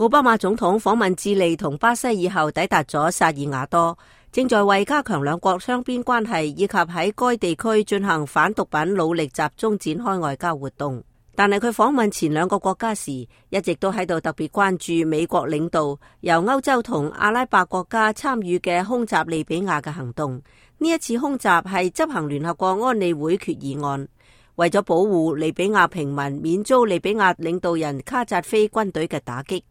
奧巴馬總統訪問智利同巴西以後，抵達咗薩爾瓦多，正在為加強兩國雙邊關係以及喺該地區進行反毒品努力集中展開外交活動。但係佢訪問前兩個國家時，一直都喺度特別關注美國領導由歐洲同阿拉伯國家參與嘅空襲利比亞嘅行動。呢一次空襲係執行聯合國安理會決議案，為咗保護利比亞平民免遭利比亞領導人卡扎菲軍隊嘅打擊。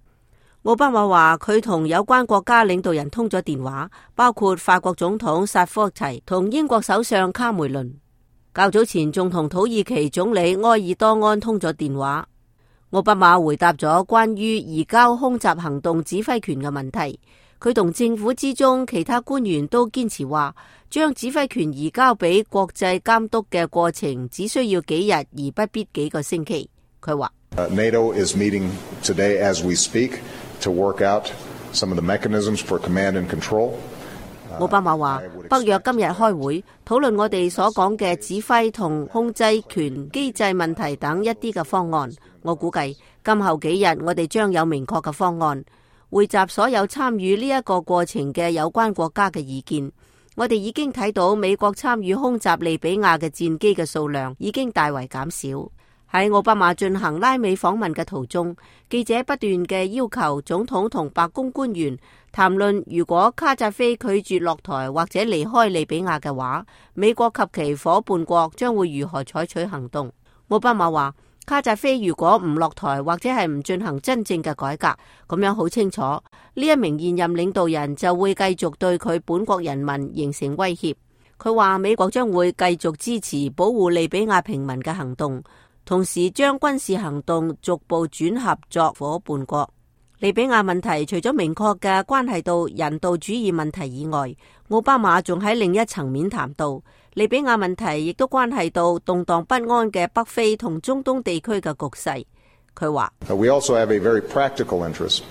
奧巴馬話佢同有關國家領導人通咗電話，包括法國總統薩科齊同英國首相卡梅倫。較早前仲同土耳其總理埃爾多安通咗電話。奧巴馬回答咗關於移交空襲行動指揮權嘅問題。佢同政府之中其他官員都堅持話，將指揮權移交俾國際監督嘅過程只需要幾日，而不必幾個星期。佢話NATO is meeting today as we speak to work out some of the mechanisms for command and control. 奧巴馬話，北約今日開會討論我哋所講嘅指揮同控制權機制問題等一啲嘅方案。我估計今後幾日我哋將有明確嘅方案，匯集所有參與呢一個過程嘅有關國家嘅意見。我哋已經睇到美國參與空襲利比亞嘅戰機嘅數量已經大為減少。喺奧巴馬進行拉美訪問嘅途中，記者不斷嘅要求總統同白宮官員談論，如果卡扎菲拒絕落台或者離開利比亞嘅話，美國及其夥伴國將會如何採取行動。奧巴馬話，卡扎菲如果唔落台或者係唔進行真正嘅改革，咁樣好清楚，呢一名現任領導人就會繼續對佢本國人民形成威脅。佢話美國將會繼續支持保護利比亞平民嘅行動，同時將軍事行動逐步轉合作夥伴國。利比亞問題除咗明確嘅關係到人道主義問題以外，奧巴馬仲喺另一層面談到，利比亞問題亦都關係到動盪不安嘅北非同中東地區嘅局勢。佢話We also have a very practical interest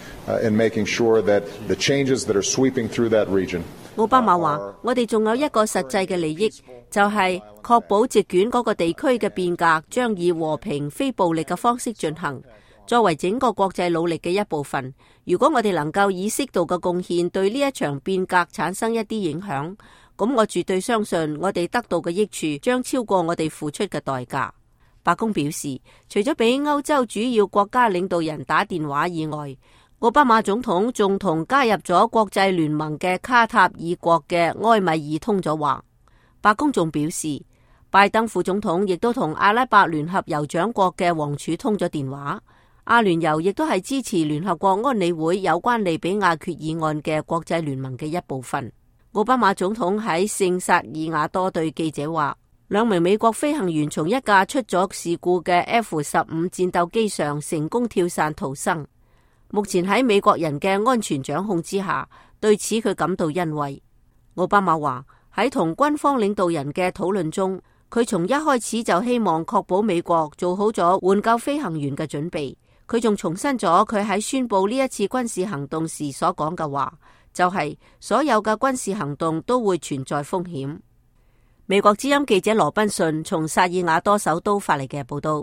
in making sure that the changes that are sweeping through that region。奧巴馬話，我哋仲有一個實際嘅利益，就係確保席捲嗰個地區嘅變革將以和平非暴力嘅方式進行，作為整個國際努力嘅一部分。如果我哋能夠以適度嘅貢獻對呢一場變革產生一啲影響，咁我絕對相信我哋得到嘅益處將超過我哋付出嘅代價。白宮表示，除咗俾歐洲主要國家領導人打電話以外，奧巴馬總統仲同加入咗國際聯盟嘅卡塔爾國嘅埃米爾通咗話。白宮仲表示，拜登副總統亦都同阿拉伯聯合酋長國嘅王儲通咗電話。阿聯酋亦都係支持聯合國安理會有關利比亞決議案嘅國際聯盟嘅一部分。奧巴馬總統喺聖薩爾瓦多對記者話，兩名美國飛行員從一架出咗事故嘅 F-15戰鬥機上成功跳傘逃生。目前喺美國人嘅安全掌控之下，對此佢感到欣慰。奧巴馬話，喺同軍方領導人嘅討論中，佢從一開始就希望確保美國做好咗援救飛行員嘅準備。佢仲重申咗佢喺宣布呢一次軍事行動時所講嘅話，就係所有嘅軍事行動都會存在風險。美國之音記者羅賓遜從薩爾瓦多首都發嚟嘅報道。